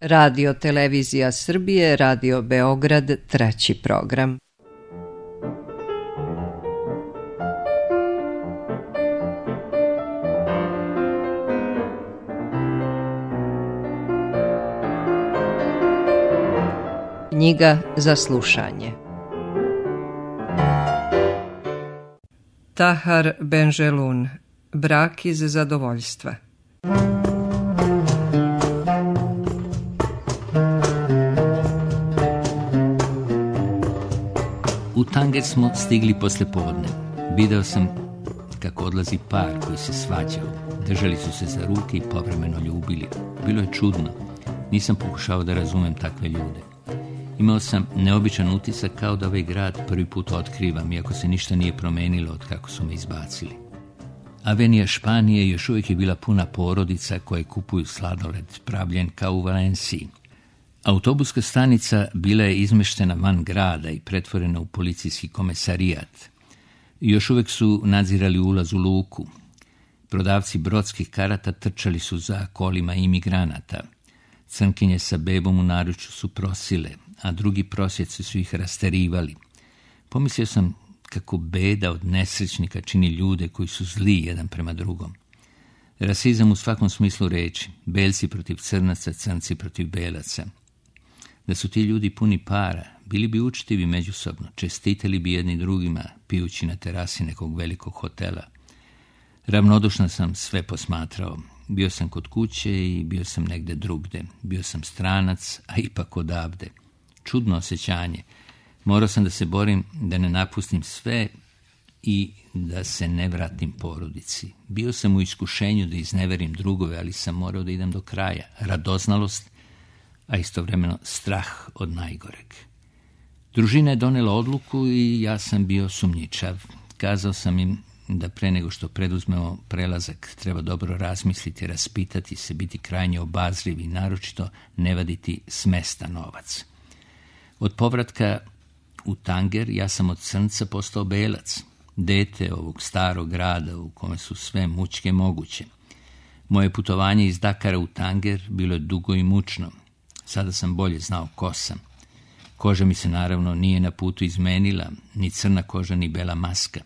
Radio Televizija Srbije, Radio Beograd, treći program. Knjiga za slušanje. Tahar Benjelun, Brak iz zadovoljstva. U Tanger smo stigli posle podne. Video sam kako odlazi par koji se svađao. Držali su se za ruke i povremeno ljubili. Bilo je čudno. Nisam pokušao da razumem takve ljude. Imao sam neobičan utisak kao da ovaj grad prvi put otkrivam, iako se ništa nije promenilo od kako su me izbacili. Avenija Španije još uvijek je bila puna porodica koje kupuju sladoled, pravljen kao u Valenciji. Autobuska stanica bila je izmeštena van grada i pretvorena u policijski komesarijat. Još uvijek su nadzirali ulaz u luku. Prodavci brodskih karata trčali su za kolima imigranata. Crnkinje sa bebom u naručju su prosile, a drugi prosjeci su ih rasterivali. Pomislio sam kako beda od nesrećnika čini ljude koji su zli jedan prema drugom. Rasizam u svakom smislu reči, belci protiv crnaca, crnci protiv belaca. Da su ti ljudi puni para, bili bi učtivi međusobno, čestitali bi jedni drugima, pijući na terasi nekog velikog hotela. Ravnodušno sam sve posmatrao. Bio sam kod kuće i bio sam negde drugde. Bio sam stranac, a ipak odavde. Čudno osjećanje. Morao sam da se borim da ne napustim sve i da se ne vratim porodici. Bio sam u iskušenju da izneverim drugove, ali sam morao da idem do kraja. Radoznalost, a istovremeno strah od najgoreg. Družina je donela odluku i ja sam bio sumnjičav. Kazao sam im da pre nego što preduzmemo prelazak treba dobro razmisliti, raspitati se, biti krajnje obazrivi i naročito ne vaditi s mesta novac. Od povratka u Tanger ja sam od crnca postao belac, dete ovog starog grada u kome su sve mučke moguće. Moje putovanje iz Dakara u Tanger bilo je dugo i mučno. Sada sam bolje znao ko sam. Koža mi se naravno nije na putu izmenila, ni crna koža ni bela maska.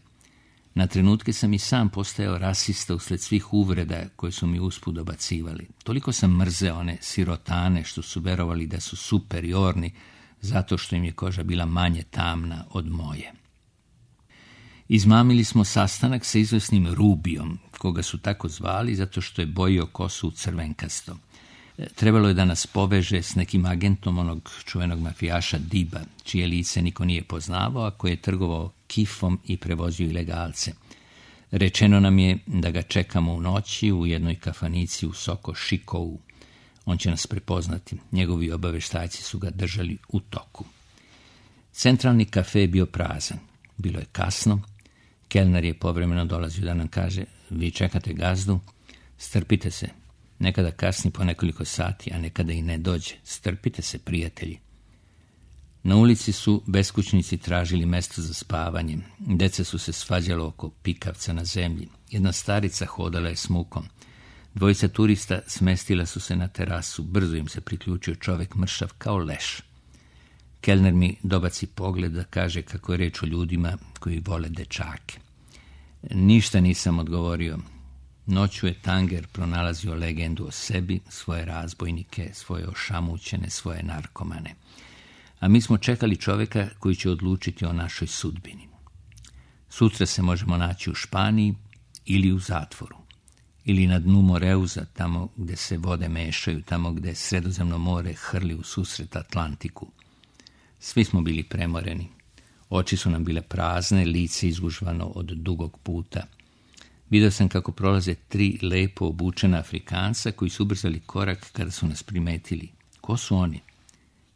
Na trenutke sam i sam postajao rasista usled svih uvreda koje su mi usput dobacivali. Toliko sam mrzeo one sirotane što su verovali da su superiorni zato što im je koža bila manje tamna od moje. Izmamili smo sastanak sa izvesnim Rubijom, koga su tako zvali zato što je bojio kosu crvenkasto. Trebalo je da nas poveže s nekim agentom onog čuvenog mafijaša Diba, čije lice niko nije poznavao, a koji je trgovao kifom i prevozio ilegalce. Rečeno nam je da ga čekamo u noći u jednoj kafanici u Soko Šikovu. On će nas prepoznati. Njegovi obaveštajci su ga držali u toku. Centralni kafe je bio prazan. Bilo je kasno. Kelner je povremeno dolazio da nam kaže: vi čekate gazdu? Strpite se. Nekada kasni po nekoliko sati, a nekada i ne dođe. Strpite se, prijatelji. Na ulici su beskućnici tražili mesto za spavanje. Deca su se svađala oko pikavca na zemlji. Jedna starica hodala je s mukom. Dvojica turista smestila su se na terasu. Brzo im se priključio čovek mršav kao leš. Kelner mi dobaci pogled da kaže kako je reč o ljudima koji vole dečake. Ništa nisam odgovorio. Noću je Tanger pronalazio legendu o sebi, svoje razbojnike, svoje ošamućene, svoje narkomane. A mi smo čekali čoveka koji će odlučiti o našoj sudbini. Sutra se možemo naći u Španiji ili u zatvoru. Ili na dnu Moreuza, tamo gde se vode mešaju, tamo gde Sredozemno more hrli u susret Atlantiku. Svi smo bili premoreni. Oči su nam bile prazne, lice izgužvano od dugog puta. Vidio sam kako prolaze 3 lepo obučena Afrikanca koji su ubrzali korak kada su nas primetili. Ko su oni?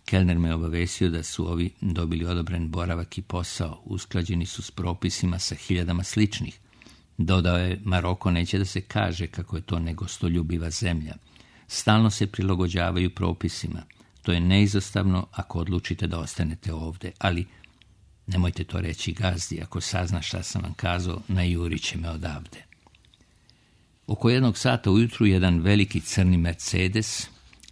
Kelner me obavestio da su ovi dobili odobren boravak i posao. Usklađeni su s propisima sa 1000 sličnih. Dodao je, Maroko neće da se kaže kako je to negostoljubiva zemlja. Stalno se prilagođavaju propisima. To je neizostavno ako odlučite da ostanete ovde, ali nemojte to reći gazdi. Ako sazna šta sam vam kazao, najurit će me odavde. Oko 1 sata ujutru jedan veliki crni Mercedes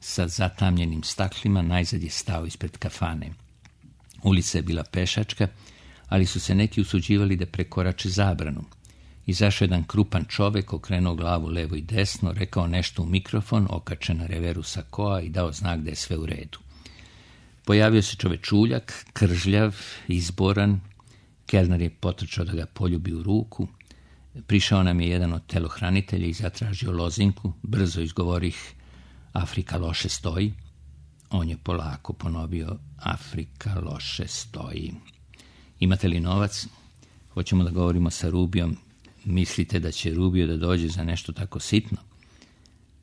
sa zatamljenim staklima najzad je stao ispred kafane. Ulica je bila pešačka, ali su se neki usuđivali da prekorače zabranu. Izašao jedan krupan čovek, okrenuo glavu levo i desno, rekao nešto u mikrofon, okačen na reveru sakoa i dao znak da je sve u redu. Pojavio se čovečuljak, kržljav, izboran. Kelner je potrčao da ga poljubi u ruku. Prišao nam je jedan od telohranitelja i zatražio lozinku. Brzo izgovorih: Afrika loše stoji. On je polako ponovio: Afrika loše stoji. Imate li novac? Hoćemo da govorimo sa Rubijom. Mislite da će Rubio da dođe za nešto tako sitno?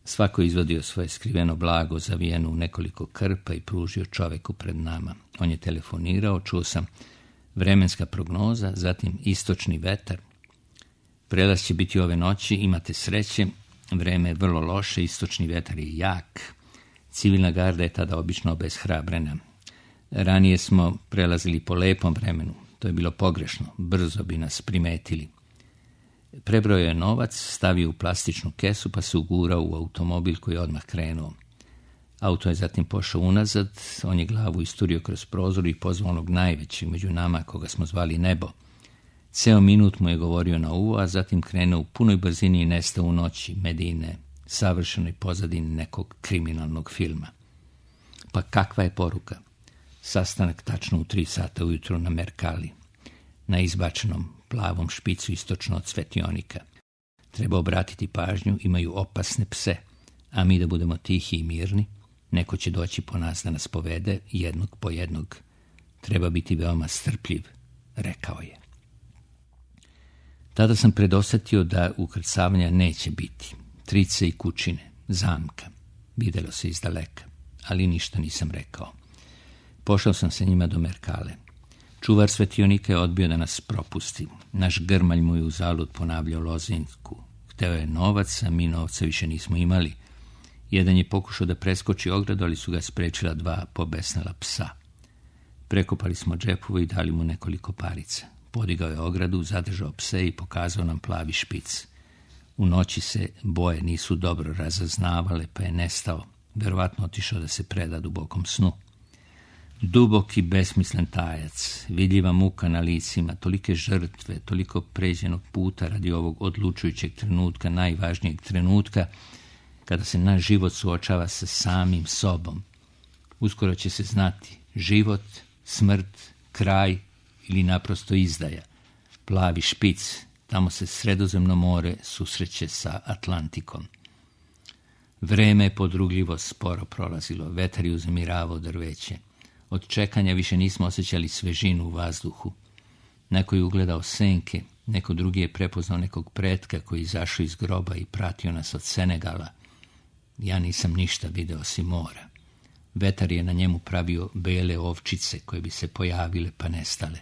Svako je izvadio svoje skriveno blago, zavijeno u nekoliko krpa i pružio čoveku pred nama. On je telefonirao, čuo sam vremenska prognoza, zatim istočni vetar. Prelaz će biti ove noći, imate sreće, vreme je vrlo loše, istočni vetar je jak. Civilna garda je tada obično obeshrabrena. Ranije smo prelazili po lepom vremenu, to je bilo pogrešno, brzo bi nas primetili. Prebrao je novac, stavio u plastičnu kesu pa se ugurao u automobil koji je odmah krenuo. Auto je zatim pošao unazad, on je glavu isturio kroz prozor i pozvao onog najvećeg među nama, koga smo zvali Nebo. Ceo minut mu je govorio na uvo, a zatim krenuo u punoj brzini i nestao u noći Medine, savršenoj pozadini nekog kriminalnog filma. Pa kakva je poruka? Sastanak tačno u 3 sata ujutro na Merkali, na izbačenom plavom špicu istočno od svetionika. Treba obratiti pažnju, imaju opasne pse, a mi da budemo tihi i mirni. Neko će doći po nas da nas povede, jednog po jednog. Treba biti veoma strpljiv, rekao je. Tada sam predosetio da ukrcavanja neće biti. Trice i kućine, zamka. Videlo se iz daleka, ali ništa nisam rekao. Pošao sam sa njima do Merkale. Čuvar svetionika je odbio da nas propusti. Naš grmalj mu je uzalud ponavljao lozinku. Hteo je novac, a mi novca više nismo imali. Jedan je pokušao da preskoči ogradu, ali su ga sprečila 2 pobesnela psa. Prekopali smo džepove i dali mu nekoliko parica. Podigao je ogradu, zadržao pse i pokazao nam plavi špic. U noći se boje nisu dobro razaznavale, pa je nestao. Verovatno otišao da se preda dubokom snu. Dubok i besmislen tajac, vidljiva muka na licima, tolike žrtve, toliko pređenog puta radi ovog odlučujućeg trenutka, najvažnijeg trenutka, kada se naš život suočava sa samim sobom. Uskoro će se znati život, smrt, kraj ili naprosto izdaja. Plavi špic, tamo se Sredozemno more susreće sa Atlantikom. Vreme je podrugljivo sporo prolazilo, vetar je uznemiravao drveće. Od čekanja više nismo osjećali svežinu u vazduhu. Neko je ugledao senke, neko drugi je prepoznao nekog pretka koji izašao iz groba i pratio nas od Senegala. Ja nisam ništa video osim mora. Vetar je na njemu pravio bele ovčice koje bi se pojavile pa nestale.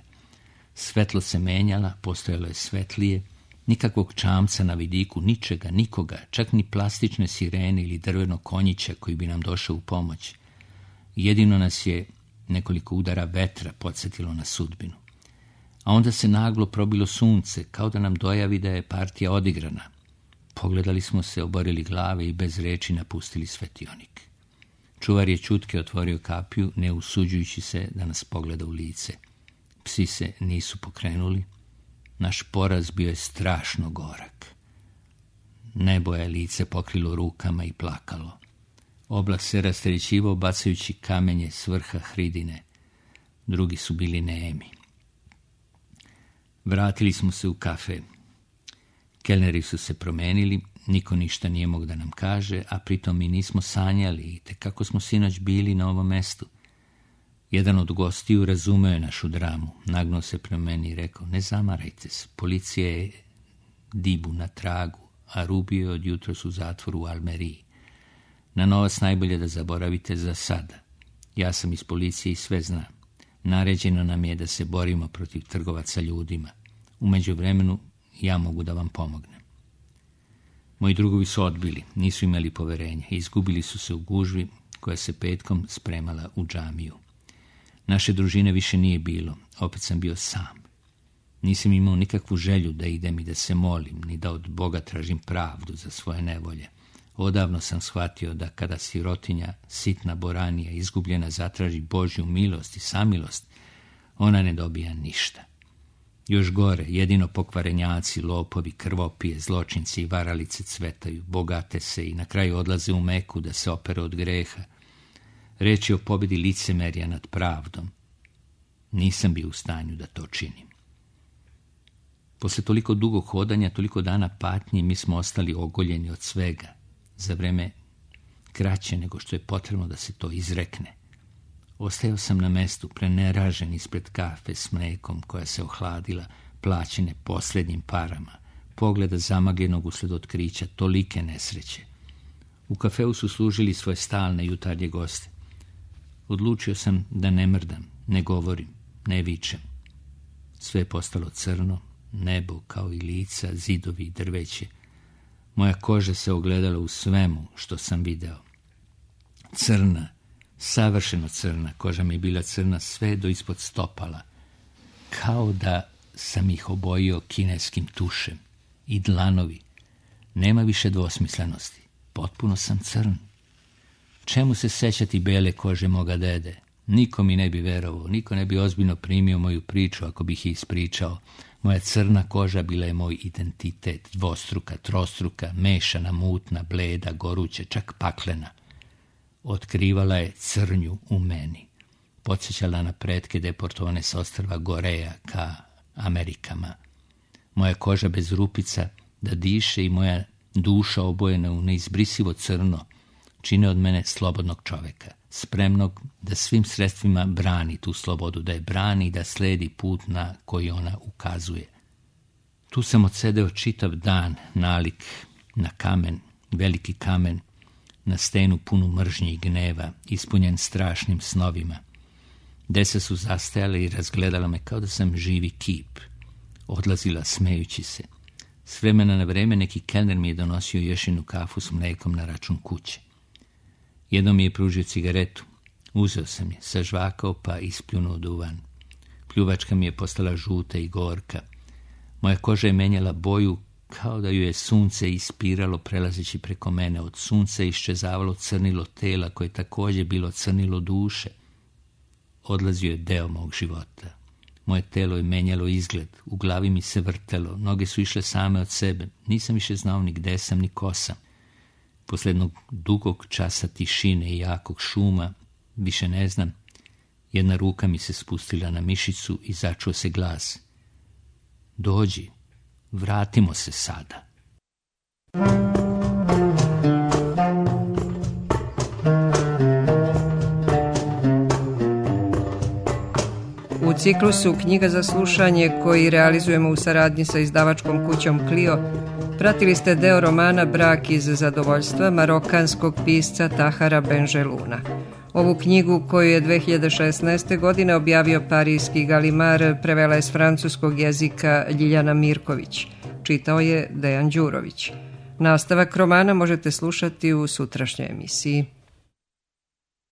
Svetlo se menjala, postojalo je svetlije, nikakvog čamca na vidiku, ničega, nikoga, čak ni plastične sirene ili drvenog konjića koji bi nam došao u pomoć. Jedino nas je nekoliko udara vetra podsjetilo na sudbinu. A onda se naglo probilo sunce, kao da nam dojavi da je partija odigrana. Pogledali smo se, oborili glave i bez reči napustili svetionik. Čuvar je ćutke otvorio kapiju, ne usuđujući se da nas pogleda u lice. Psi se nisu pokrenuli. Naš poraz bio je strašno gorak. Nebo je lice pokrilo rukama i plakalo. Oblak se rastrećivao bacajući kamenje s vrha hridine. Drugi su bili nemi. Vratili smo se u kafe. Kelneri su se promenili, niko ništa nije mogao da nam kaže, a pritom mi nismo sanjali i te kako smo sinoć bili na ovom mestu. Jedan od gostiju razumeo je našu dramu, nagnuo se prema meni i rekao: ne zamarajte se, policija je Dibu na tragu, a Rubio je od jutros u zatvoru u Almeriji. Na novac najbolje da zaboravite za sada. Ja sam iz policije i sve znam. Naređeno nam je da se borimo protiv trgovaca ljudima. U međuvremenu ja mogu da vam pomognem. Moji drugovi su odbili, nisu imali poverenja, izgubili su se u gužvi koja se petkom spremala u džamiju. Naše družine više nije bilo, opet sam bio sam. Nisam imao nikakvu želju da idem i da se molim, ni da od Boga tražim pravdu za svoje nevolje. Odavno sam shvatio da kada sirotinja, sitna boranija, izgubljena zatraži Božju milost i samilost, ona ne dobija ništa. Još gore, jedino pokvarenjaci, lopovi, krvopije, zločinci i varalice cvetaju, bogate se i na kraju odlaze u Meku da se opere od greha. Reč je o pobjedi licemerja nad pravdom. Nisam bio u stanju da to činim. Posle toliko dugog hodanja, toliko dana patnje, mi smo ostali ogoljeni od svega, za vreme kraće nego što je potrebno da se to izrekne. Ostajao sam na mestu, preneražen ispred kafe s mlekom koja se ohladila, plaćene posljednjim parama, pogleda zamagljenog usled otkrića tolike nesreće. U kafeu su služili svoje stalne jutarnje goste. Odlučio sam da ne mrdam, ne govorim, ne vičem. Sve je postalo crno, nebo kao i lica, zidovi i drveće. Moja koža se ogledala u svemu što sam video. Crna, savršeno crna, koža mi je bila crna sve do ispod stopala, kao da sam ih obojio kineskim tušem. I dlanovi. Nema više dvosmislenosti. Potpuno sam crn. Čemu se sećati bele kože moga dede? Niko mi ne bi verovao, niko ne bi ozbiljno primio moju priču ako bih je ispričao. Moja crna koža bila je moj identitet, dvostruka, trostruka, mešana, mutna, bleda, goruća, čak paklena. Otkrivala je crnju u meni. Podsjećala na pretke deportovane s ostrva Goreja ka Amerikama. Moja koža bez rupica da diše i moja duša obojena u neizbrisivo crno čine od mene slobodnog čoveka, spremnog da svim sredstvima brani tu slobodu, da je brani i da sledi put na koji ona ukazuje. Tu sam odsedeo čitav dan, nalik na kamen, veliki kamen, na stenu punu mržnje i gneva, ispunjen strašnim snovima. Deca su zastajale i razgledala me kao da sam živi kip. Odlazila smejući se. S vremena na vreme neki kelner mi je donosio ješinu kafu s mlekom na račun kuće. Jednom mi je pružio cigaretu. Uzeo sam je, sažvakao pa ispljunuo duvan. Pljuvačka mi je postala žuta i gorka. Moja koža je menjala boju kao da ju je sunce ispiralo prelazeći preko mene. Od sunca iščezavalo crnilo tela koje je također bilo crnilo duše. Odlazio je deo mog života. Moje telo je menjalo izgled, u glavi mi se vrtelo, noge su išle same od sebe. Nisam više znao ni gde sam, ni ko sam. Posle jednog dugog časa tišine i jakog šuma, više ne znam, jedna ruka mi se spustila na mišicu i začuo se glas. Dođi, vratimo se sada. U ciklusu Knjiga za slušanje koji realizujemo u saradnji sa izdavačkom kućom Clio, pratili ste deo romana Brak iz zadovoljstva marokanskog pisca Tahara Benjeluna. Ovu knjigu koju je 2016. godine objavio parijski Galimar prevela je s francuskog jezika Ljiljana Mirković. Čitao je Dejan Đurović. Nastavak romana možete slušati u sutrašnjoj emisiji.